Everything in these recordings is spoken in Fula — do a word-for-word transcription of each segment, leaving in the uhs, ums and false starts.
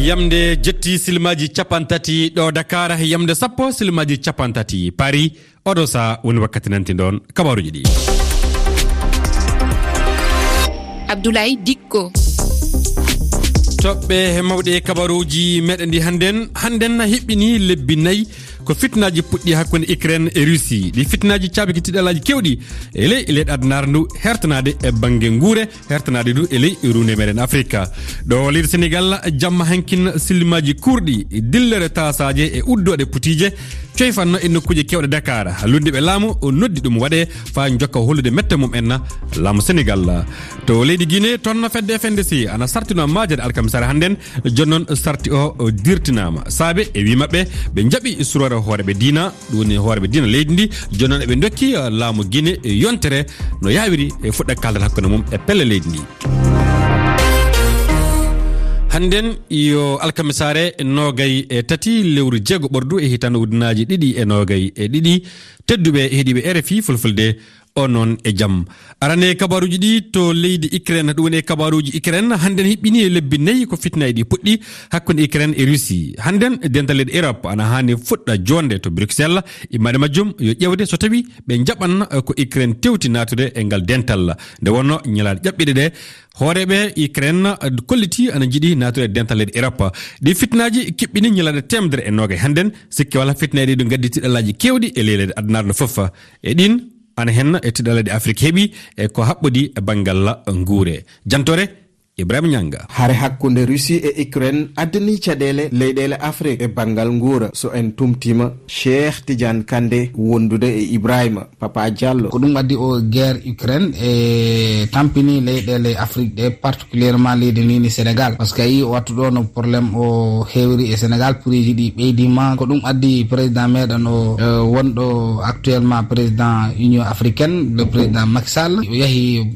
Yamde jetti silmaaji cappanɗe tati ɗo Dakar, yamde sappo silmaaji cappanɗe tati Paris. Oɗo saha woni wakkati nanti ɗon kabaruuji ɗi. Abdoulaye Dikko. Toɓɓe mawɗe kabaruuji meɗen ɗi hannden, hannden hiɓɓini lebbi nayi ko fitnaaji puɗɗi hakkunde Ukraine e Russie. Ɗi fitnaaji caabiki tiɗalaaji kewɗi e ley, e leyɗe adunaaru ndu, hertanaade e bannge nguure, hertanaade du e ley ruunde meɗen Afrika. Ɗo leydi Senegal, jamma hankin silmaaji kurɗi, dillere taasaaje e uddooɗe putiije, coyfanno e nokkuuje keewɗe Dakar. Lunndiiɓe laamu o noddi ɗum waɗe faa njokka hollude mette mum en laamu Senegal. To leydi Guinée, toon fedde F N D C ana sartino maajade alkamisaare hannden, jooni noon sarti o, o dirtinaama. Saabe e wii maɓɓe, ɓe njaɓi suroore hooreeɓe diina, ɗum woni hooreeɓe diina leydi ndi, jooni noon eɓe ndokki, eh, laamu Guinée, eh, yontere no yaawiri e fuɗɗa kaaldal hakkunde mum e pelle leydi ndi. Hannden yo alkamisaare noogay e tati lewru jeego ɓordu e hitaande ujunnaaji ɗiɗi e noogay e ɗiɗi. Tedduɓe heɗiiɓe R F I Fulfulde, on noon e jam. Arane kabaruuji ɗi to leydi Ukraine, ɗum woni e kabaruuji Ukraine, hannden hiɓɓini e lebbi nayi ko fitnaaji ɗi puɗɗi hakkunde Ukraine e Russie. Hannden dental leyɗe Europe ana haani fuɗɗa joonde to Bruxelles, immaaɗe majjum yo ƴeewde so tawi ɓe njaɓan, eh, ko Ukraine tewti naatude e ngal dental. Nde wonno ñalaaɗe ƴaɓɓiiɗe ɗe, hooreeɓe Ukraine, eh, kolliti ana njiɗi naatude e dental leyɗe Europe. Ɗi fitnaaji kiɓɓini ñalaaɗe teemedere e noogay hannden, sikke walaa fitnaaji ɗi ɗo ngaddi tiɗalaaji keewɗi e ley leyɗe adunaaru ndu fof. E ɗin, ana hen e tiɗalaaji Afrik heɓi e ko haɓɓodi e banngal nguure. Jantore, Ibrahima Ñanga. Hare hakkunde Russie e Ukraine addani caɗeele leyɗeele Afrik e banngal nguura. So en tumtiima, Cheikh Tidiane Kande wondude e Ibrahima Papa Diallo. Ko ɗum addi o guerre Ukraine e tampini leyɗeele Afrik ɗe, particulièrement leydi ni ni Sénégal. Parce que a yii o wattu ɗo no problème o heewiri e Sénégal, prix ji ɗi ɓeydima. Ko ɗum addi président meɗen o, eh, wonɗo actuellement président Union africaine, le président Macky Sall, o yahi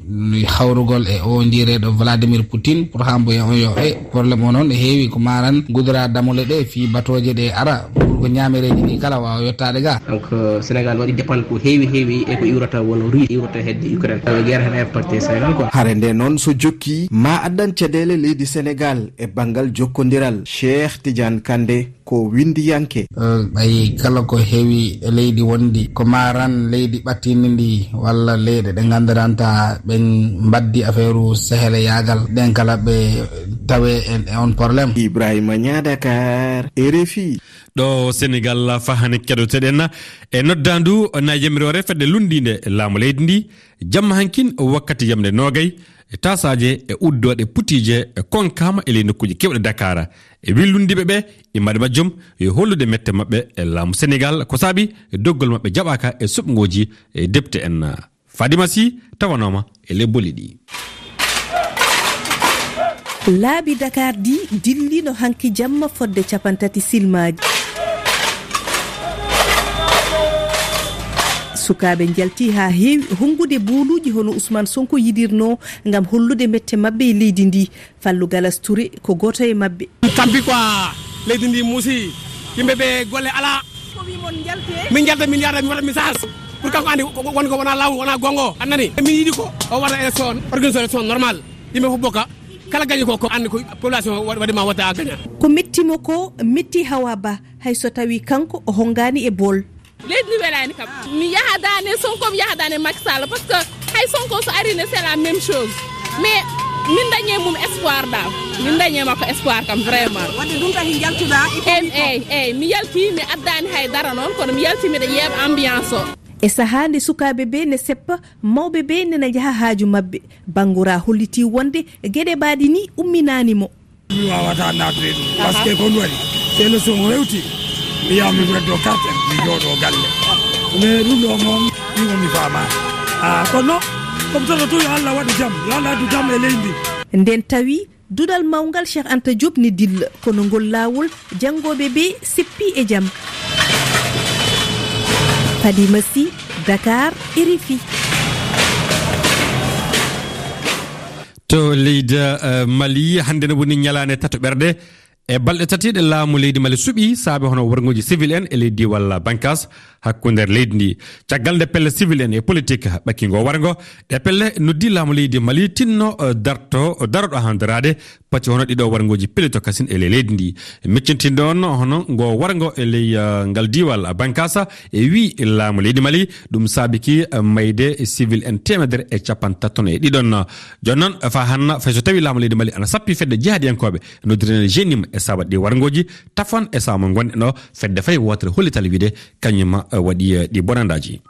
hawrugol e o jiireɗo Vladimir Poutine pour haa mboya on yo e problème o noon e heewi ko maran gudura damule ɗe fii batooje ɗe ara pour ko ñaamereeji ɗi kala waawa yottaade ga. Donc, euh, Sénégal waɗi dépend ko heewi heewi e ko iwrata won Russie, iwrata hedde Ukraine. Euh, guerre hene impacté Sénégal quoi. Hare nde noon so jokki, ma addan caɗeele leydi Sénégal e banngal jokkondiral. Cheikh Tidiane Kande ko winndiyanke. Eh, ɓay kala ko heewi e leydi wondi, ko maran leydi ɓattini ndi, walla leyɗe ɗe nganndiranta ɓe mbaddi affaire u seheleyaagal, ɗen kala ɓe tawe e, e on problème. Ibrahima Ñaa, Dakar, R F I. Ɗo Senegal, fahani keɗoteɗen e noddaandu na yamiroore fedde lunndiinde laamu leydi ndi, jamma hankin wakkati yamde noogay, e taasaaje e uddooɗe putiije e konkaama e ley nokkuuje keewɗe Dakar. E wi lunndiiɓe ɓe, immaaɗe majjum yo hollude mette maɓɓe e laamu Senegal, ko saabi doggol maɓɓe jaɓaaka e suɓngooji e depte en. Fadima Sy tawanooma e ley bolli ɗi. Laabi Dakar ɗi dillino hanki jamma fodde cappanɗe tati silmaaji. Sukaaɓe njalti haa heewi honngude booluuji hono Ousmane Sonko yiɗirno ngam hollude mette maɓɓe e leydi ndi. Fallou Galas Touré ko gooto e maɓɓe. Tampi quoi, leydi ndi muusi, yimɓe ɓe golle alaa. Ko wi mon njalte? Min njalta, min yaada, mi waɗa message. Pour kanko andi ko, ko, won ko wona law, wona gongo. A nani? Min yiɗi ko o waɗa élection, organisation élection normal. Yimɓe fof bokka. Kala gañi ko, ko andi ko population wa-, waɗi ma wota a gaña. Ko metti mo ko metti Hawa Ba, hay so tawi kanko o hongaani e bool. Leydi ndi welaani kam. Mi yahadaani e Sonko, mi yahadaani e Macky Sall, parce que hay Sonko so ari ne, c'est la même chose. Mais min dañi e mum espoir dal. Min dañi e makko espoir kam, vraiment. Wadde ɗum tahi njaltuɗa e... Eyyi, commune o? Eyyi, eyyi, mi yalti, mi addaani hay dara noon, kono mi yalti miɗa yeeɓa ambiance o. E sahaa nde sukaaɓe ɓe ne seppa, mawɓe ɓe nena njaha haaju maɓɓe. Bangura holliti wonde geɗe ɓaaɗi ni umminaani mo. Mi wawata nattude ɗum, parce que ko ɗum waɗi, so élection o hewti, mi yaha mi weddo carte, mi jooɗo galle. Mais ɗum ɗo moom, ɗum mi faama. Ah, kono, comme ça, tout Allah waɗi jam, yo Allah addu jam e leydi. Nden tawi duɗal mawngal Cheikh Anta Diop ne dilla, kono ngol laawol janngooɓe ɓe seppi e jam. Fadima Sy, Dakar, R F I. To leydi, eh, Mali, hannde ne woni ñalaande tatoɓerde E balɗe tati ɗe laamu leydi Mali suɓii saabe hono warngooji civil en e ley diiwal Bankas hakkunde leydi ndi. Caggal nde pelle civil en e politik ɓakki ngo warngo, ɗe pelle noddi laamu leydi Mali tinno, eh, darto, daroɗo handiraade pati hono ɗiɗo warngooji pelito kasin e ley leydi ndi. Miccintinɗo on hono ngo warngo e ley, eh, ngal diiwal Bankasa e wii laamu leydi Mali ɗum saabiki, eh, mayde civil en teemedere e capantaton e ɗiɗon. Jooni noon, fa hanna, fay so tawi laamu leydi Mali ana sappi fedde jihadiyankooɓe, noddirene jenim e sabat ɗi warngooji, tafon e saama ngonɗen o, fedde fay wootere hollital wiide kañum, eh, waɗi, eh, ɗi bonandaaji.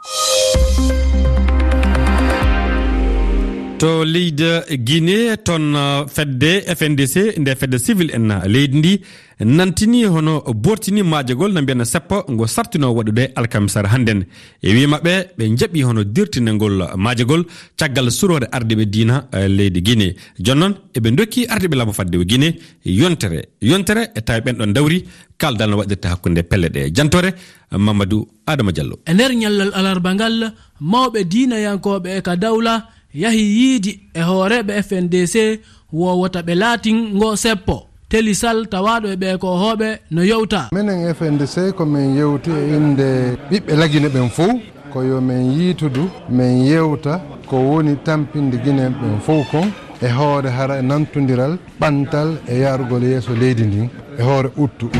To leydi Guinée, toon, eh, fedde F N D C, nde fedde civil en leydi ndi, nantini hono bortini maajagol no mbiyan seppo ngo sartino waɗude alkamisar hannden. E wii maɓɓe, ɓe njaɓi hono dirtinengol maajagol caggal suroore ardiiɓe diina, eh, leydi Guinée. Jooni noon, eɓe ndokki ardiiɓe laamu fadde o Guinée yontere, yontere e tawi ɓen ɗon dawri kaldal no waɗirta hakkunde pelle ɗe. Jantore, Mamadou Adama Diallo. E nder ñallal alarba ngal, mawɓe diinayankooɓe e ka dawla yahi yiidi e hooreeɓe F N D C wowota ɓe laatin ngo seppo. Teli Sall tawaaɗo e ɓee koohooɓe no yewta. Menen F N D C ko men yewti e innde ɓiɓɓe Lagine ɓen fow, ko yo men yiitudu, men yewta ko woni tampinde Guinéen ɓen fow kon e hoore hara e nantondiral, ɓantal e yaarugol yeeso leydi ndin e hoore uttu.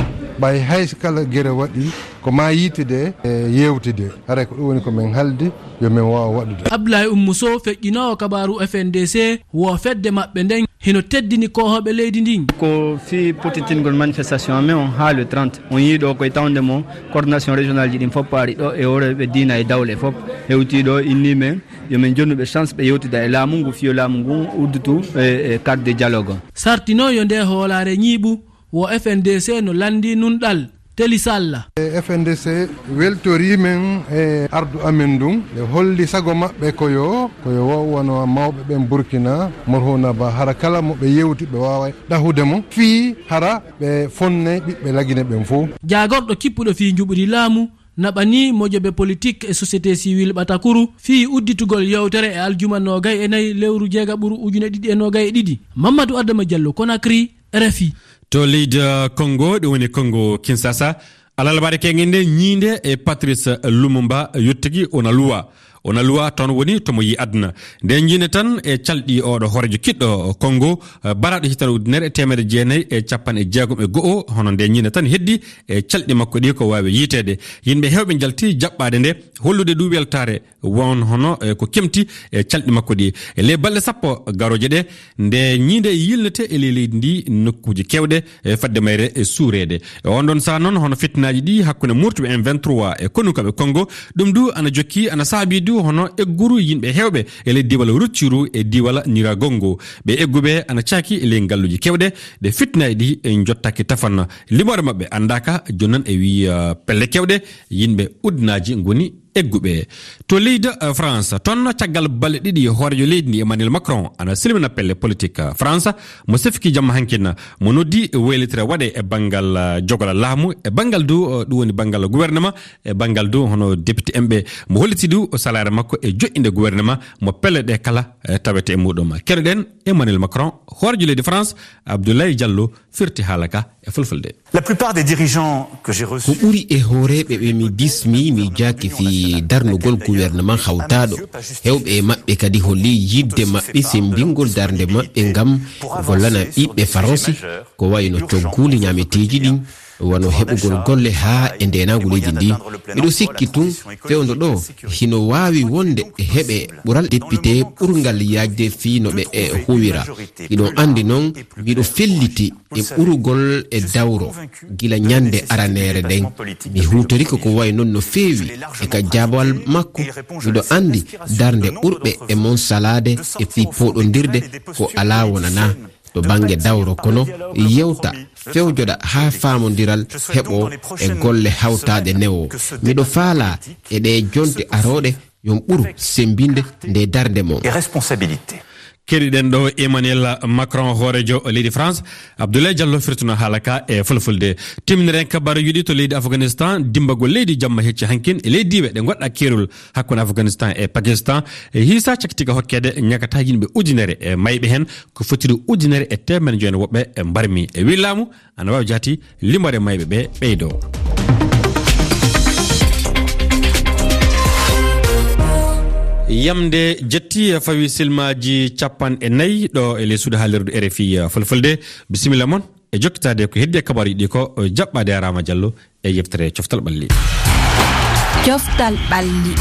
Ɓay hay so kala gere waɗi, ko maa yiitude e yewtude. Haray ko ɗum woni ko men haldi yo men waaw waɗude. Abdoulaye Oumou Sow, feƴƴinoowo kabaaru F N D C, wo fedde maɓɓe nden hino teddini koohooɓe leydi ndin. Ko fii pottitingol manifestation amen on haa le trente. On yii ɗo koye tawnde mo coordination régional ji ɗin fof paari ɗo e hooreeɓe diina e dawle fof hewti ɗo, inni men yo men jonnu ɓe chance ɓe yewtida e laamu ngu, fii yo laamu ngu udditu e, e cadre de dialogue on. Sartino yo nde hoolaare ñiiɓu, wo F N D C no lanndi nunɗal. Teli Sall. E F N D C weltori men e ardu amen ndun. Ɓe holli sago maɓɓe ko yo, ko yo wo-, wano mawɓe ɓen Burkina, Morhuna Ba, hara kala mo ɓe yewti ɓe waawa ɗahude mo, fii hara ɓe fonnay ɓiɓɓe Lagine ɓen fow. Jaagorɗo kippuɗo fii njuɓudi laamu naɓani mojobe politik e société civile ɓatakuru fii udditugol yewtere e aljuma noogay e nayi lewru jeegaɓuru ujune ɗiɗi e noogay e ɗiɗi. Mamadou Adama Diallo, Conakry, R F I. To leydi, uh, Congo, ɗum woni Congo Kinshasa, alarbaare keŋŋe nde ñiinde e Patrice Lumumba yottigi Onaluwa. Onaluwa toon woni to mo yi aduna. Nde ñiinde tan e calɗi oɗo hoorejo kiɗɗo Congo, uh, baraɗo hitande ujunere e teemedere jeenayi e capanɗe jeegom e go'o, hono nde ñiinde tan heddi e calɗi makko ɗi ko waawi yiiteede. Yimɓe heewɓe njalti jaɓɓaade nde, hollude ɗum weltaare won hono, eh, ko kemti, eh, calɗi makko ɗi. E ley balɗe sappo garooje ɗe, nde ñiinde yilnete e ley leydi ndi nokkuuji keewɗe, eh, fadde mayre, eh, suureede. E on ɗon saha noon, hono fitnaaji ɗi hakkunde murtuɓe M vingt-trois e konukaɓe Kongo, ɗum du ana jokki, ana saabi du hono egguru yimɓe heewɓe e ley diiwal Rutshuru e diiwal Nyiragongo. Ɓe egguɓe ana caaki e ley ngalluuji keewɗe, ɗe fitnaaji ɗi, eh, njottaaki tafan. Limoore maɓɓe anndaaka, jooni noon e wii, eh, pelle keewɗe, yimɓe uddinaaji ngoni egguɓe. To leydi, eh, France, toon caggal balɗe ɗiɗi hooreejo leydi ndi Emmanuel Macron ana silmina pelle politik, eh, France, mo sefki jamma hankin, mo noddi waylitere waɗe e banngal, eh, jogola laamu, e banngal du, eh, ɗum woni banngal gouvernement, e banngal du hono député en ɓe, mo holliti du o salaare makko e joƴƴinde gouvernement, mo pelle ɗe kala, eh, tawete e muɗum. Keɗoɗen Emmanuel Macron, hooreejo leydi France, Abdoulaye Diallo, firti haala ka e fulfulde. La plupart des dirigeants que j'ai reçus... Ko ɓuri e hooreeɓe ɓe mi dismi, mi jaaki fii darnugol gouvernement hawtaaɗo. Heewɓe e maɓɓe kadi holli yiɗde maɓɓe semmbingol darnde maɓɓe ngam gollana ɓiɓɓe Faransi, ko wayi no cogguuli ñaameteeji ɗin, wano heɓugol golle haa e ndeenaangu leydi ndi. Miɗo sikki tun fewndo ɗo hino waawi wonde heɓe ɓural député ɓurngal yaajde fii no ɓe e huwira. Hiɗon anndi non, miɗo felliti e ɓurugol e dawro gila ñande araneere nden. Mi huutorike ko wayi non no feewi e ka jaabawal makko. Miɗo anndi darnde ɓurɓe e mon salaade e fii pooɗondirde ko alaa wonanaa to bannge dawro, kono yewta, fewjoɗa haa faamondiral heɓo e golle hawtaaɗe newo. Miɗo faalaa e ɗee jonte arooɗe yon ɓuru semmbinde nde darnde mon. Et responsabilité. Keɗiɗen ɗo Emmanuel Macron, hooreejo leydi France. Abdoulaye Diallo firtino haala ka e fulfulde. Timmiren kabaruuji ɗi to leydi Afghanistan, dimbagol leydi jamma hecci hankin e leydi diiwe ɗe goɗɗa keerol hakkunde Afghanistan e Pakistan. E hiisa cakitiga hokkeede ñakata yimɓe ujunere e mayɓe hen, ko fotiri ujunere e teemere joyi woɓɓe e mbarmi. E wi laamu, ana waawi jaati limore mayɓe ɓe ɓeydo. Yamde jetti fawi silmaaji capanɗe nayi ɗo e les suudu haalirdu R F I Fulfulde. Bisimilla mon e jokkitaade ko heddi e kabaaruuji ɗi ko jaɓɓaade Rama Diallo e yeftere coftal ɓalli. Coftal ɓalli.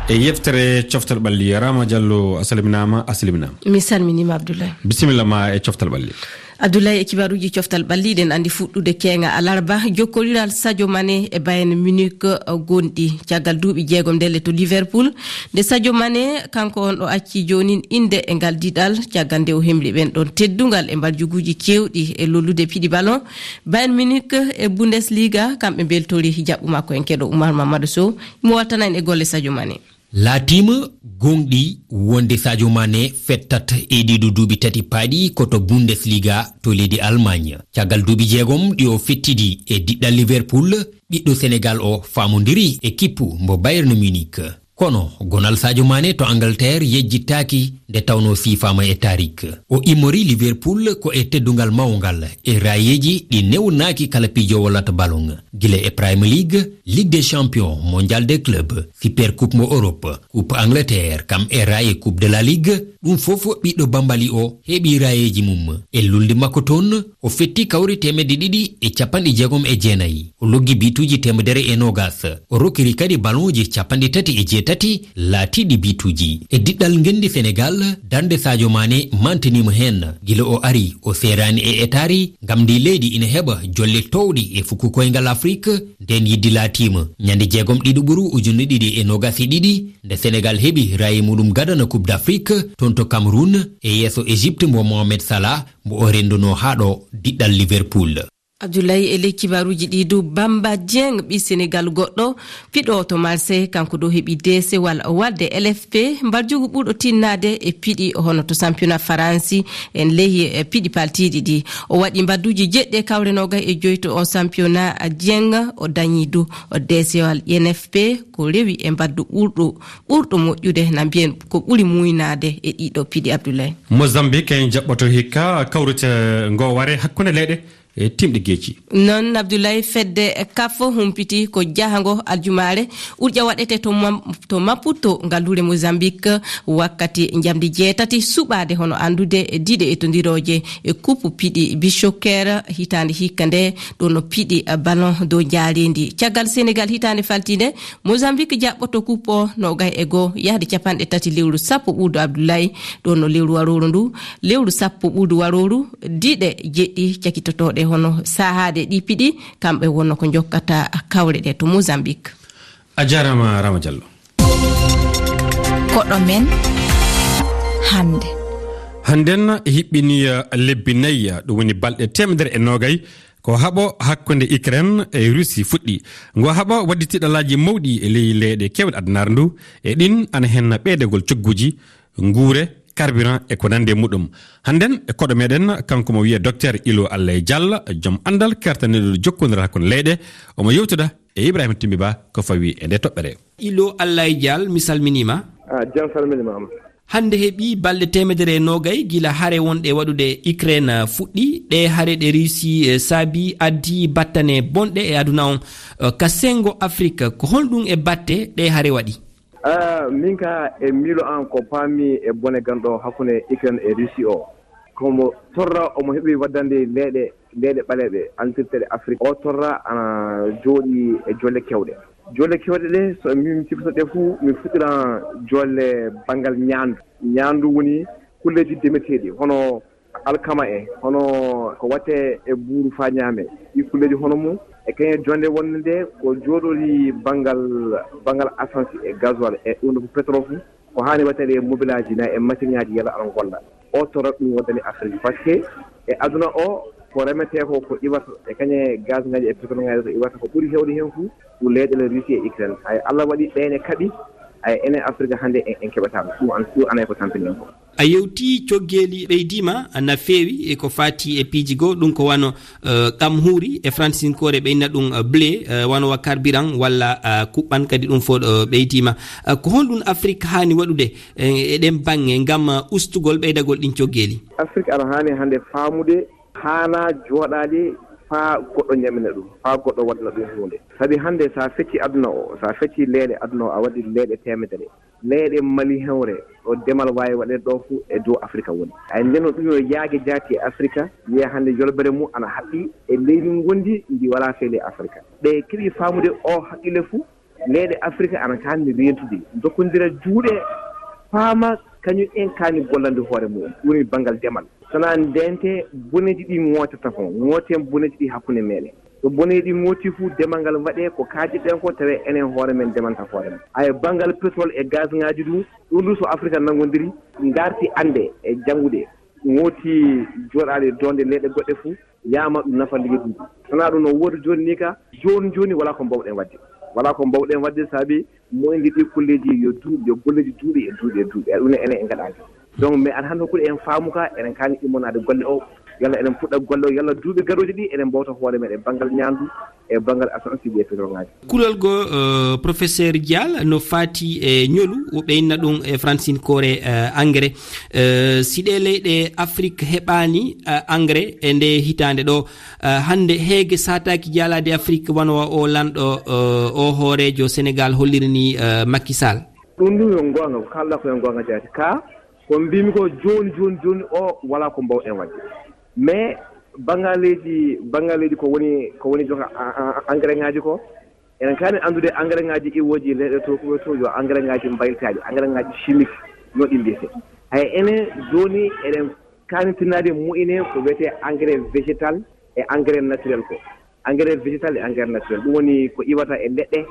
E yeftere coftal ɓalli, Rama Diallo, a salminaama, a salminaama. Mi salminiima, Abdoulaye. Bisimilla ma e coftal ɓalli. Abdoulaye, e kibaaruuji coftal ɓalli, eɗen anndi fuɗɗude keeŋa alarba, jokkoliral Sadio Mané e Bayern Munich, uh, gonɗi caggal duuɓi jeegom ndelle to Liverpool. Nde Sadio Mané, kanko on ɗo acci joonin innde e ngal diɗal, caggal nde o hemli ɓen ɗon teddungal e mbarjuguuji keewɗi e lollude piɗi ballon. Bayern Munich e Bundesliga, kamɓe mbeltori jaɓɓu makko en keɗo Oumar Mamadou Sow, mo wattana en e golle Sadio Mané. Laatiima gooŋɗi wonde Sadio Mané fettat e ɗiɗo duuɓi tati paaɗi ko to Bundesliga to leydi Allemagne. Caggal duuɓi jeegom ɗi o fettidi e diɗɗal Liverpool, ɓiɗɗo Senegal o faamondiri e kippu mbo Bayern Munich. Kono gonal Sadio Mané to Angleterre yejjittaaki nde tawnoo siifaama e tarik. O immori Liverpool ko e teddungal mawngal e raayeeji ɗi newnaaki kala piijoowo lat ballon. Gila e Premier League, Ligue des Champions, Mondial des Clubs, Super Coupe mo Europe, Coupe Angleterre, kam e raaye Coupe de la Ligue, ɗum fof ɓiɗɗo Bambali o heɓi raayeeji mum. E lulnde makko toon, o fetti kawri teemedde ɗiɗi e capanɗe jeegom e jeenayi. O loggi bituuji teemedere e noogas. O rokkiri kadi ballonji capanɗe tati e jeetati laatiiɗi bituuji. E diɗɗal ngenndi Senegal, darnde Sadio Mané mantiniima heen. Gila o ari, o seeraani e etaari, ngam ndi leydi ina heɓa jolle toowɗi e fuku koyngal Afrik, nden yidde laatiima. Ñande jeegom ɗiɗo ɓuru ujunere ɗiɗi e noogas e ɗiɗi, nde Senegal heɓi raaye muɗum gadana Coupe d'Afrique, toon to Cameroun, e yeeso Égypte mbo Mohamed Salah, mbo o renndunoo haa ɗo diɗɗal Liverpool. Abdoulaye, e ley kibaaruuji ɗi du, Bamba Dieng, ɓii Senegal goɗɗo, piɗo to Marseille, kanko ɗo heɓi deesewal walde L F P, mbarjugu ɓurɗo tinnaade e piɗi hono to championnat Faransi, en ley, eh, piɗi paltiiɗi ɗi. O waɗi mbadduuji jeɗɗi e kawre noogay e joyi to o championnat Dieng, o dañi du o deesewal N F P, ko rewi e mbaddu ɓurɗo, ɓurɗo moƴƴude, na mbiyen ko ɓuri muynaade e ɗiɗo piɗi, Abdoulaye. Mozambique en jaɓɓoto hikka kawrite ngo ware hakkunde leyɗe e timɗe geeci. Noon, Abdoulaye, fedde kaf humpiti ko jahango aljumaare urƴa waɗete to Mam-, to Maputo, ngalluure Mozambique, wakkati njamdi jeetati suɓaade, hono anndude diɗe e tondirooje e kuppu piɗi Bichoker hitaande hikka nde, ɗo no piɗi ballon dow njaareendi. Caggal Senegal hitaande faltiinde, Mozambique jaɓɓoto kuppo noogay e goo yahde capanɗe tati lewru sappo ɓuuɗu Abdoulaye, ɗo no lewru warooru ndu, lewru sappo ɓuuɗu warooru, diɗe jeɗɗi cakitotooɗe hono sahaaɗe ɗi piɗi, kamɓe wonno ko njokkata kawre ɗe to Mozambique. A jaaraama, Rama Diallo. Koɗo men hannde. Hannden hiɓɓini, eh, lebbi nayi, eh, ɗum woni balɗe teemedere e noogay, ko haɓo hakkunde Ukraine e Russie fuɗɗi. Ngo haɓo waddi tiɗalaaji mawɗi e ley leyɗe keewɗe addunaare ndu, e ɗin ana hen ɓeydagol cogguuji, nguure, carburant e ko nandi e muɗum. Hannden e koɗo meɗen, kanko mo wiyee Docteur Ilo Allay Diallo, joom anndal kertaniiɗo jokkondiral hakkunde leyɗe, omo yewtida e Ibrahima Timbi Ba ko fawi e nde toɓɓere. Ilo Allay Diallo, mi salminiima. Ah, jam salminiima am. Hannde heɓi balɗe teemedere e noogay gila hare wonɗe waɗude Ukraine fuɗɗi. Ɗe hare ɗe Russie, eh, saabi addi battane bonɗe e aduna on. Eh, ka senngo Afrique, ko honɗum e batte ɗe hare waɗi? Ah, min ka e miilo an ko paami e bone ganɗo hakkunde Ukraine e Russie o. Komo torra omo heɓi waddande leyɗe, leyɗe ɓaleeɓe, antirteeɗe Afrique. O torra ana jooɗi e jolle kewɗe. Jolle kewɗe ɗe, so min sikkuto ɗe fuu, min fuɗɗira jolle banngal ñaandu. Ñaandu woni kulleeji demeteeɗi, hono alkama e, hono ko watte e buuru faa ñaame. Ɗi kulleeji hono mum, e kañum jonde wonde nde ko jooɗori banngal, banngal essence e gasoil e ɗum ɗo fof pétrole fof. Ko haani waɗeede e mobilaaji na e masiŋaaji yalla ana ngonda. O torra ɗum waddani Afrik. Parce que e aduna o, ko remetee ko, ko iwata e kañe gazŋaaji e pétrolŋaaji ko iwata, ko ɓuri heewde heen fof ko leyɗeele Russie e Ukraine. Hay Allah waɗi ɓeen e kaɓi, Ay, enen Afrika hannde en, en keɓataa ɗum. Ɗum an, ɗum anay ko tampini en ko. A yewti coggeeli ɓeydiima na feewi e ko faati e piiji goo, ɗum ko wano, eh, kam huuri e fransinkoore ɓe inna ɗum, eh, blé, eh, wano wa carburant walla, eh, kuɓɓan kadi ɗum fof, eh, ɓeydiima. Eh, ko honɗum Afrique haani waɗude, eh, e ɗen baŋŋe ngam, eh, ustugol ɓeydagol ɗin coggeeli? Afrique ana haani hannde faamude haanaa jooɗaade faa goɗɗo ñamina ɗum, faa goɗɗo waɗana ɗum huunde. Sabi hannde so a feccii aduna o, so a feccii leyɗe aduna o, a waɗi leyɗe teemedere. Leyɗe Mali hewre, ɗo demal waawi waɗeede ɗo fuu e dow Afrika woni. Ay, ndeen ɗum yo yaage jaati e Afrika, wiya hannde yolbere mum ana haɓɓi e leydi ngondi ndi walaa feele e Afrika. Ɓe keɓi faamude o haqqille fuu, leyɗe Afrika ana kaani reentude, ndokkondira juuɗe, paama kañum en kaani gollande hoore mum, ɗum woni banngal demal. Sanaa ndeente boneeji ɗi ŋootata fof, ŋooten boneeji ɗi hakkunde meɗen. So boneeji ɗi ŋooti fof, demal ngal waɗee ko kaajeɗen ko, tawee enen hoore men demanta hoore men. Haya banngal pétrole e gaz ŋaaji ɗum, ɗum ɗum so Afrika nanngondiri, ngarti annde e janngude, ŋooti jooɗaade doonde leyɗe goɗɗe fof, yaama ɗum nafa leydi ndi. Sanaa ɗum no woodi jooni ni ka, jooni jooni walaa ko mbawɗen waɗde. Walaa ko mbawɗen waɗde sabi moyndi ɗi kulleeji yo duuɓi, yo golleeji duuɓi e duuɓi e duuɓi. Ɗum ne enen en ngaɗaani. Donc, mais aɗa hannde hokkude en faamu ka, eɗen kaani immonaade golle o, yalla eɗen puɗɗa golle o, yalla duuɓi garooji ɗi eɗen mbawta hoore meɗen banngal ñaandu e banngal essence e pétrole ŋaaji. Kulol goo, eh, Professeur Dial, no faati e ñolu, o ɓe inna ɗum e fransinkoore, eh, engrais. Eh, si ɗee leyɗe Afrique heɓaani, eh, engrais e ndee hitaande ɗo, eh, hannde heege saataaki jaalaade Afrique wano o lanɗo, eh, o hooreejo Sénégal holliri ni, eh, Macky Sall. Ɗum ɗum yo goonga, ko kaalɗaa ko yo goonga jaati. Ka, ko mbimi ko jooni, jooni, jooni o walaa ko mbawɗen waɗde. Mais banngaleeji, banngaleeji ko woni, ko woni joga a-, a-, a-, engrais ŋaaji ko, eɗen kaani anndude engrais ŋaaji iwooji leyɗe to, ko to yo engrais ŋaaji mbayliitaaɗi, engrais ŋaaji chimique no ɗi mbiyetee. Hay enen jooni eɗen kaani tinnaade moƴƴine ko wiyetee engrais végétal e engrais naturel ko. Engrais végétal e engrais naturel. Ɗum woni ko iwata e leɗɗe,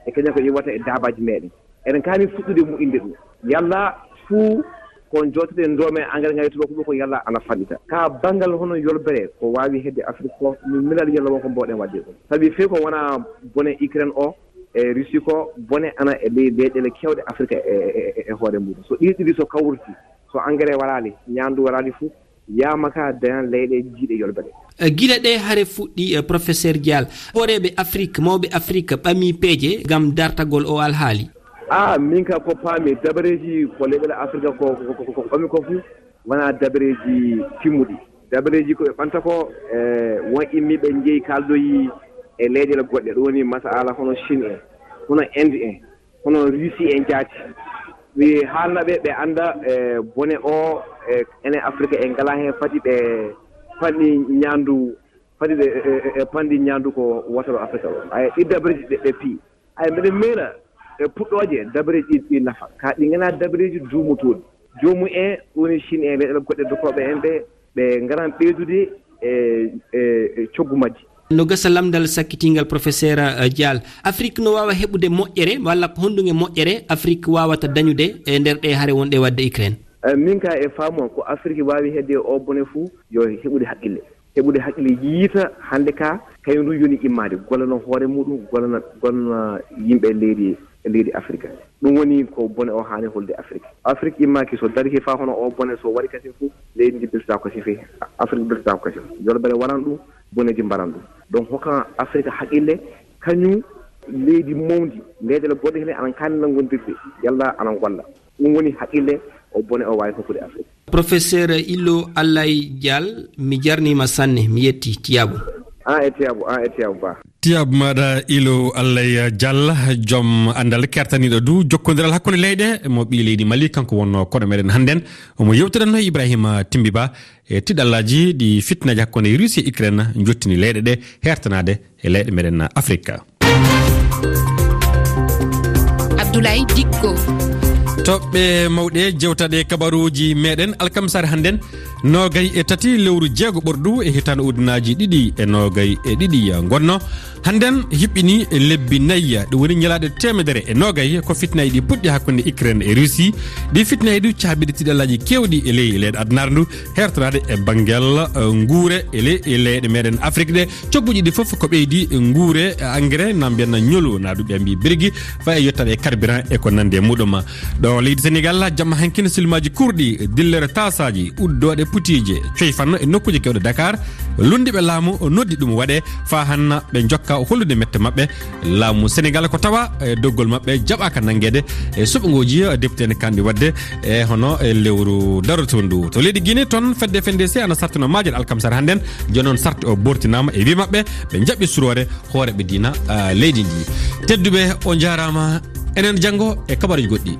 e kañum ko iwata e daabaaji meɗen. Eɗen kaani fuɗɗude moƴƴinde ɗum. Yalla fuu ko jooɗtoɗen ɗo men engrais ŋaaji tubaako ɗo ko yalla ana fanɗita. Ka banngal hono yolbere ko waawi hedde Afrique ko, min miɗo yalla won ko mbawɗen waɗde ɗum. Sabi fii ko wona bone Ukraine o e Russie ko, bone ana e ley leyɗeele keewɗe Afrique e, e, e, e hoore muɗum. So ɗiɗi ɗiɗi so kawriti, so engrais waraali, ñaandu waraali fuu, yaama ka dañan leyɗe jiiɗe yolbere. Eh, gila ɗee hare fuɗɗi, eh, Professeur Dial, hooreeɓe Afrique, mawɓe Afrique ɓamii peeje ngam dartagol o alhaali. Ah, min ka ko paami, dabareeji ko leyɗeele Afrique ko, ko, ko, ko, ko ɓami ko fuu, wonaa dabareeji timmuɗi. Dabareeji ko ɓe ɓanta ko, eh, won immiiɓe njeyi kaaldoyi e leyɗeele goɗɗe, ɗum woni masala hono Chine en, hono Inde en, hono Russie en jaati. Mi haalna ɓe, ɓe annda, eh, bone o, eh, enen Afrique en ngalaa heen, fati ɓe panɗi ñaandu, fati ɓe, eh, eh, eh, panɗi ñaandu ko wotoro Afrique o. Ay, ɗi dabareeji ɓe, ɓe pii. Ay, mbeɗa meera e puɗɗooje dabareeji ɗi, ɗi nafa. Ka ɗi nganaa dabareeji duumotooɗi. Joomum en, woni Chine en, leyɗeele goɗɗe dokkooɓe en ɓe, ɓe ngaran ɓeydude e, e, e coggu majji. No gasa lamndal sakkitingal, Professeur, eh, Dial. Afrique no waawa heɓude moƴƴere, walla ko honɗum e moƴƴere Afrique waawata dañude e nder ɗee hare wonɗe waɗde Ukraine? Eh, min ka e faamu am, ko Afrique waawi heɓde o bone fuu, yo heɓude haqqille. Heɓude haqqille, yiita hannde ka, kañum ɗum yoni immaade, gollana hoore muɗum, gollana, gollana yimɓe leydi, leydi Afrique. Ɗum woni ko bone o haani holde Afrique. Afrique immaaki so darike faa hono o bone so waɗi kasin fof, leydi ndi beltataa ko sifi, Afrique beltataa ko kasin. Yolbere waran ɗum, boneeji mbaran ɗum. Donc hokkan Afrique haqqille, kañum leydi mawndi, leyɗeele goɗɗe hene ana kaani nanngondirde, yalla ana ngolla. Ɗum woni haqqille o bone o waawi hokkude Afrique. Professeur Illo Allay Dial, mi jarniima sanne, mi yetti, tiyaabu. An e tiyaabu, an e tiyaabu ba. Tiyaabu maaɗa Illo Allay Dial, joom anndal kertaniiɗo du jokkondiral hakkunde leyɗe, mo ɓii leydi Mali, kanko wonnoo koɗo meɗen hannden. Omo yewtidanno Ibrahima Timbi Ba e tiɗallaaji ɗi fitnaaji hakkunde Russie e Ukraine njottini leyɗe ɗe hertanaade e leyɗe meɗen Afrique. Abdoulaye Dikko. Toɓɓe mawɗe jewtaɗe kabaruuji meɗen alkamsare hannden, nogay e tati lewru jeego ɓordu e hitaande ujunnaji ɗiɗi e nogay e ɗiɗi ngonno. Hannden hiɓɓini lebbi nayi, ɗum woni ñalaaɗe teemedere e nogay ko fitnaaji ɗi puɗɗi hakkunde Ukraine e Russie. Ɗi fitnaaji ɗi caabiɗi tiɗallaaji keewɗi e ley leyɗe adunaaru ndu, hertoraade e banngel, eh, nguure e ley, e leyɗe meɗen Afrique ɗe. Cogguji ɗi fof ko ɓeydi nguure, eh, engrais, na mbiyanna ñolu, na ɗum ɓe mbi birgi, fayi e yettaade e carburant e ko nandi e muɗum. Ɗo leydi Sénégal, jamma hankin silmaji kurɗi, dillere tasaji, uddooɗe putiije, coyfanno e nokkuuje kewɗe Dakar, lunndiiɓe laamu noddi ɗum waɗe, faa hanna ɓe njokka hollude mette maɓɓe. Laamu Sénégal ko tawa e doggol maɓɓe jaɓaaka nanngeede e suɓngooji, eh, depute en kandi waɗde e hono e lewru darotoondu. To leydi Guinée toon, fedde F N D C ana sartino maajal alkamsare hannden, jooni noon sarti o bortinaama e wii maɓɓe, ɓe njaɓi suroore hooreeɓe diina, ah, leydi ndi. Tedduɓe, on njaaraama, enen janngo e kabaruuji goɗɗi.